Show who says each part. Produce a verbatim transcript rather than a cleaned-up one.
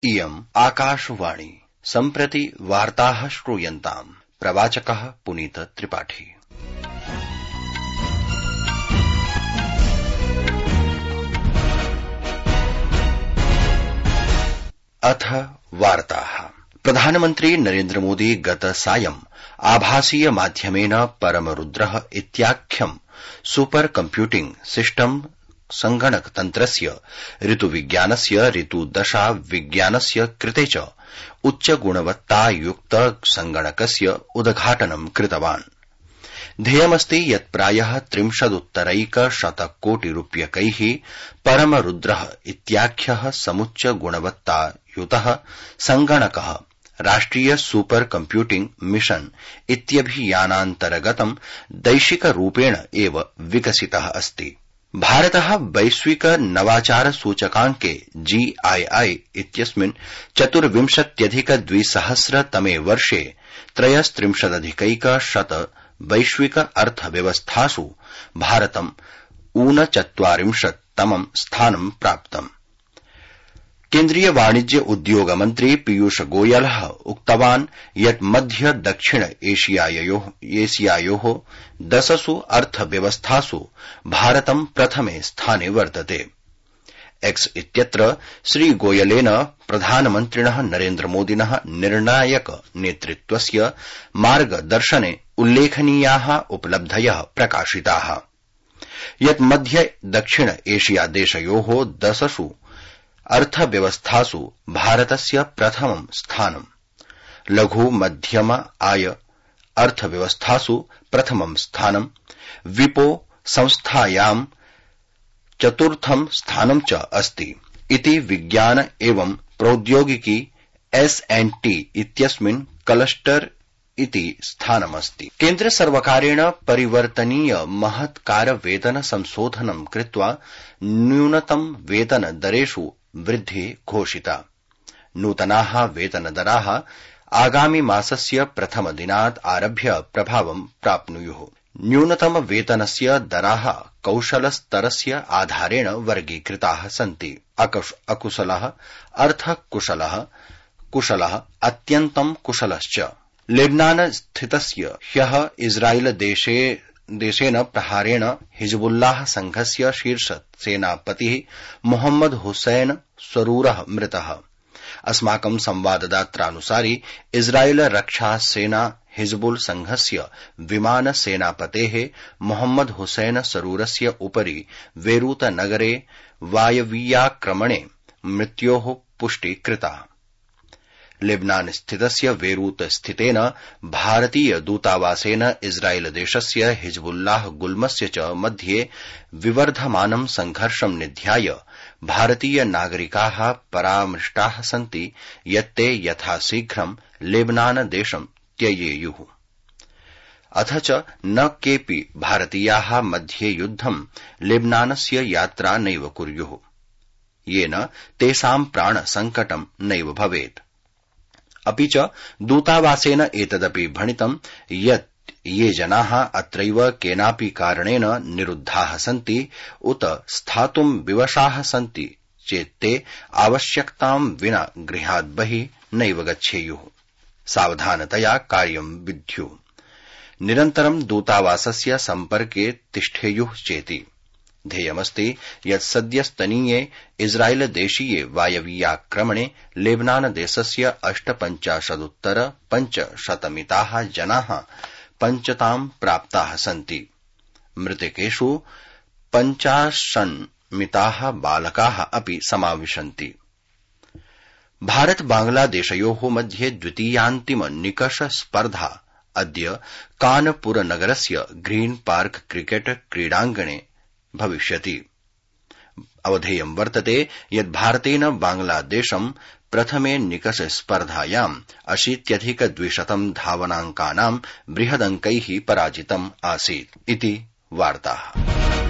Speaker 1: इयम् आकाशवाणी सम्प्रति वार्ताः श्रूयन्ताम्। प्रवाचकः पुनीत त्रिपाठी। अथ वार्ताः। प्रधानमन्त्री नरेन्द्र मोदी गत सायं आभासीय माध्यमेन परमरुद्रः इत्याख्यं सुपर कम्प्यूटिंग सिस्टम संगणकतन्त्रस्य ऋतुविज्ञानस्य ऋतुदशा विज्ञानस्य कृते च उच्चगुणवत्तायुक्त संगणकस्य उद्घाटनं कृतवान्। ध्येयमस्ति यत् प्रायः त्रिंशदुत्तरैकशतकोटिरूप्यकैः परमरुद्रः इत्याख्यः समुच्चगुणवत्तायुतः संगणकः राष्ट्रिय सुपर कम्प्यूटिंग मिशन इत्यभियानान्तर्गतं दैशिकरूपेण एव विकसितः अस्ति। भारतः वैश्विक नवाचार सूचकाङ्के जी आई आई इत्यस्मिन् चतुर्विंशत्यधिक द्विसहस्रतमे वर्षे त्रयस्त्रिंशदधिकैकशत वैश्विक अर्थव्यवस्थासु भारतम् ऊनचत्वारिंशत्तमं स्थानं प्राप्तम्। केन्द्रीय वाणिज्य उद्योग मन्त्री पीयूष गोयलः उक्तवान् यत् मध्य दक्षिण एशियायोः दशसु अर्थव्यवस्थासु भारतं प्रथमे स्थाने वर्तते। एक्स इत्यत्र श्रीगोयलेन प्रधानमन्त्रिणः नरेन्द्र मोदिनः निर्णायक नेतृत्वस्य मार्गदर्शने उल्लेखनीयाः उपलब्धयः प्रकाशिताः। यत् मध्य दक्षिण एशिया देशयोः दशसु अर्थव्यवस्थासु भारतस्य प्रथमं स्थानं, लघु मध्यम आय अर्थव्यवस्थासु प्रथमं स्थानं, विपो संस्थायां चतुर्थं स्थानं च अस्ति इति विज्ञान एवं प्रौद्योगिकी एस एण्ड टी इत्यस्मिन् क्लस्टर इति स्थानमस्ति। केन्द्र सर्वकारेण परिवर्तनीय महत्कार वेतन संशोधनं कृत्वा न्यूनतम वेतन दरेषु वृद्धि घोषिता। नूतनाः वेतनदराः आगामि मासस्य प्रथमदिनात् आरभ्य प्रभावं प्राप्नुयुः। न्यूनतम वेतनस्य दराः कौशलस्तरस्य आधारेण वर्गीकृताः सन्ति। अकुशलः, अर्थकुशलः, कुशलः, अत्यन्तं कुशलश्च। लेबनान स्थितस्य ह्यः इस्राएल देशे देशेन प्रहारेण हिजबुल्लाह संघस्य शीर्ष सेनापतिः मोहम्मद हुसैन सरूरः मृतः। अस्माकं संवाददात्रानुसारि इस्राएल रक्षा सेना हिजबुल संघस्य विमान सेनापतेः मोहम्मद हुसैन सरूरस्य उपरि बेरूत नगरे वायवीयाक्रमणे मृत्योः पुष्टि कृता। लेबनान स्थितस्य बेरूत स्थितेन भारतीय दूतावासेन इस्राएल देशस्य हिजबुल्लाह गुल्मस्य च मध्ये विवर्धमानं संघर्षं निध्याय भारतीय नागरिकाः परामृष्टाः सन्ति यत् ते यथाशीघ्रं लेबनान देशं त्यजेयुः। अथ च न केऽपि भारतीयाः मध्ये युद्धं लेबनानस्य यात्रा नैव कुर्युः, येन तेषां प्राणसङ्कटं नैव भवेत्। अपि च दूतावासेन एतदपि भणितं यत् ये जनाः अत्रैव केनापि कारणेन निरुद्धाः सन्ति उत स्थातुं विवशाः सन्ति चेत् ते आवश्यकतां विना गृहात् बहिः नैव गच्छेयुः, सावधानतया कार्यं विद्युः, निरन्तरं दूतावासस्य सम्पर्के तिष्ठेयुः चेति। ध्येयमस्ति यत् सद्यस्तनीये इस्राएल देशीये वायवीयाक्रमणे लेबनान देशस्य अष्टपञ्चाशदुत्तर पञ्चशतमिताः जनाः पञ्चतां प्राप्ताः सन्ति। मृतकेषु पञ्चाशन्मिताः बालकाः अपि समाविशन्ति। भारत बांग्लादेशयोः मध्ये द्वितीयान्तिम निकष स्पर्धा अद्य कानपुरनगरस्य ग्रीन पार्क क्रिकेट क्रीडाङ्गणे भविष्यति। अवधेयं वर्तते यत् भारतेन बांग्लादेशं प्रथमे निकष स्पर्धायाम् अशीत्यधिक द्विशतं धावनाङ्कानां बृहदङ्कैः पराजितम् आसीत् इति वार्ताः।